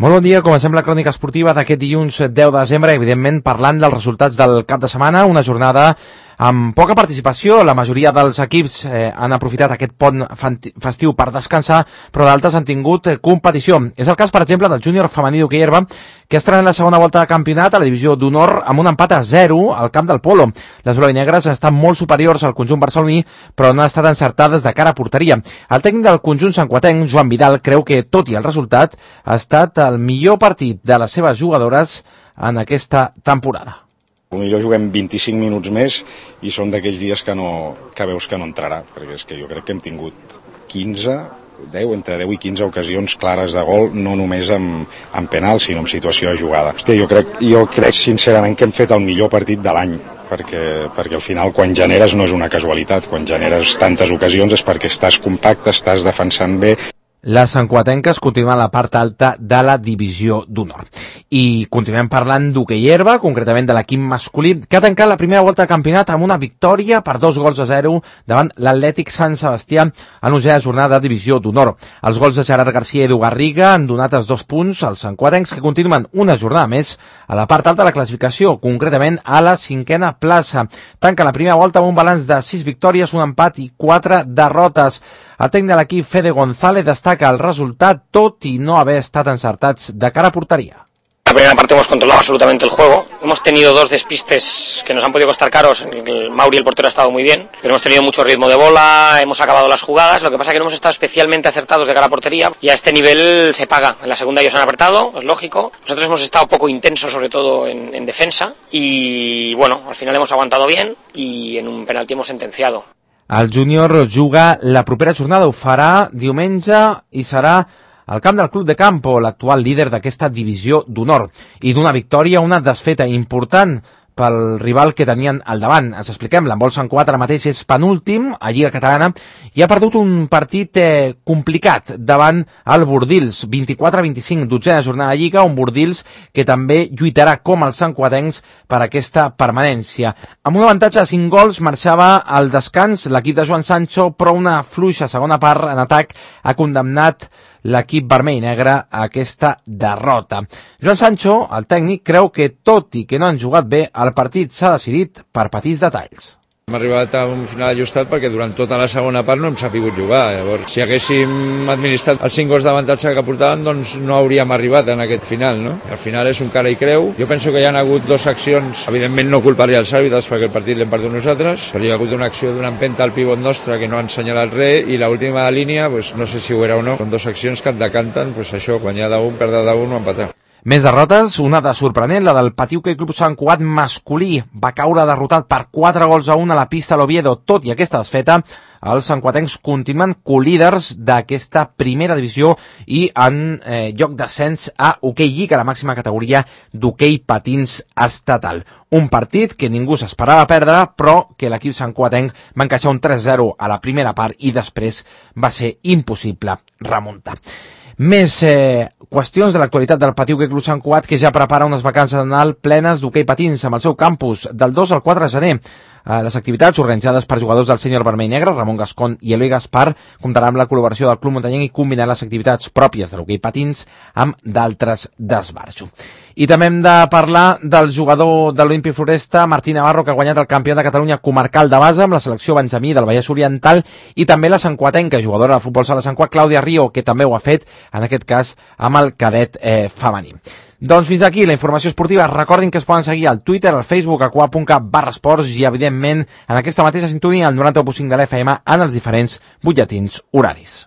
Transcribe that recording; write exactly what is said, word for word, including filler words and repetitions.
Molt bon dia, comencem la crònica esportiva d'aquest dilluns deu de desembre, evidentment parlant dels resultats del cap de setmana, una jornada amb poca participació. La majoria dels equips eh, han aprofitat aquest pont festiu per descansar, però d'altres han tingut eh, competició. És el cas, per exemple, del júnior femení d'hoquei herba, que estrena la segona volta de campionat a la divisió d'honor amb un empat a zero al camp del Polo. Les blau-i-negres estan molt superiors al conjunt barceloní, però no han estat encertades de cara a porteria. El tècnic del conjunt santcuatenc, Joan Vidal, creu que, tot i el resultat, ha estat el millor partit de les seves jugadores en aquesta temporada. Potser juguem vint-i-cinc minuts més i són d'aquells dies que, no, que veus que no entrarà, perquè és que jo crec que hem tingut quinze, deu, entre deu i quinze ocasions clares de gol, no només amb, amb penal, sinó en situació de jugada. Hòstia, jo, crec, jo crec sincerament que hem fet el millor partit de l'any, perquè, perquè al final quan generes no és una casualitat, quan generes tantes ocasions és perquè estàs compacte, estàs defensant bé. Les santcuatenques continuen a la part alta de la divisió d'honor. I continuem parlant d'hoquei herba, concretament de l'equip masculí, que ha tancat la primera volta de campionat amb una victòria per dos gols a zero davant l'Atlètic Sant Sebastià en l'onzena jornada de divisió d'honor. Els gols de Gerard García i Edu Garriga han donat els dos punts als santcuatencs, que continuen una jornada més a la part alta de la classificació, concretament a la cinquena plaça. Tanca la primera volta amb un balanç de sis victòries, un empat i quatre derrotes. El tècnic de l'equip, Fede González, destaca el resultat, tot i no haver estat encertats de cara a porteria. La primera parte hemos controlado absolutamente el juego. Hemos tenido dos despistes que nos han podido costar caros. El Mauri, el portero, ha estado muy bien, pero hemos tenido mucho ritmo de bola, hemos acabado las jugadas. Lo que pasa es que no hemos estado especialmente acertados de cara a portería y a este nivel se paga. En la segunda ellos han apretado, es lógico. Nosotros hemos estado poco intensos, sobre todo en, en defensa, y bueno, al final hemos aguantado bien y en un penalti hemos sentenciado. El júnior juga la propera jornada, ho farà diumenge i serà al camp del Club de Campo, l'actual líder d'aquesta divisió d'honor. I d'una victòria, una desfeta important pel rival que tenien al davant. Ens expliquem, l'handbol Sant Cugat ara mateix és penúltim a Lliga Catalana i ha perdut un partit eh, complicat davant el Bordils, vint-i-quatre a vint-i-cinc, dotzena jornada de Lliga, un Bordils que també lluitarà com els santcuatencs per aquesta permanència. Amb un avantatge de cinc gols marxava al descans l'equip de Joan Sancho, però una fluixa segona part en atac ha condemnat l'equip vermell i negre a aquesta derrota. Joan Sancho, el tècnic, creu que tot i que no han jugat bé, el partit s'ha decidit per petits detalls. Hem arribat a un final ajustat perquè durant tota la segona part no hem sabut jugar. Llavors, si haguéssim administrat els cinc gols d'avantatge que portàvem, doncs no hauríem arribat en aquest final, no? Al final és un cara i creu. Jo penso que hi ha hagut dues accions, evidentment no culparia els àrbitres perquè el partit l'hem perdut nosaltres, però hi ha hagut una acció d'una empenta al pivot nostre que no han assenyalat res, i l'última de línia, pues, no sé si ho era o no, són dues accions que et decanten, pues, això, guanyar d'un, perdre d'un o empatar. Més derrotes, una de sorprenent, la del Patí Hoquei Club Sant Cugat masculí. Va caure derrotat per quatre gols a un a la pista a l'Oviedo. Tot i aquesta desfeta, els santcuatencs continuen colíders d'aquesta primera divisió i en eh, lloc d'ascens a Hoquei Lliga, la màxima categoria d'hoquei patins estatal. Un partit que ningú s'esperava perdre, però que l'equip santcuatenc va encaixar un tres zero a la primera part i després va ser impossible remuntar. Més eh, qüestions de l'actualitat del Patí Hoquei Club Sant Cugat, que ja prepara unes vacances de Nadal plenes d'hoquei patins amb el seu campus del dos al quatre de gener. Eh, les activitats organitzades per jugadors del sènior vermell i negre, Ramon Gascon i Eloi Gaspar, comptaran amb la col·laboració del Club Muntanyenc i combinant les activitats pròpies de l'hoquei patins amb d'altres d'esbarjo. I també hem de parlar del jugador de l'Olímpic Floresta, Martí Navarro, que ha guanyat el campionat de Catalunya comarcal de base amb la selecció benjamí del Vallès Oriental, i també la santcuatenca, jugadora de futbol sala Sant Cugat, Clàudia Rio, que també ho ha fet, en aquest cas, amb el cadet eh, femení. Doncs fins aquí la informació esportiva. Recordin que es poden seguir al Twitter, al Facebook, a cugat punt cat barra esports i, evidentment, en aquesta mateixa sintonia, al noranta u punt cinc de l'F M en els diferents butlletins horaris.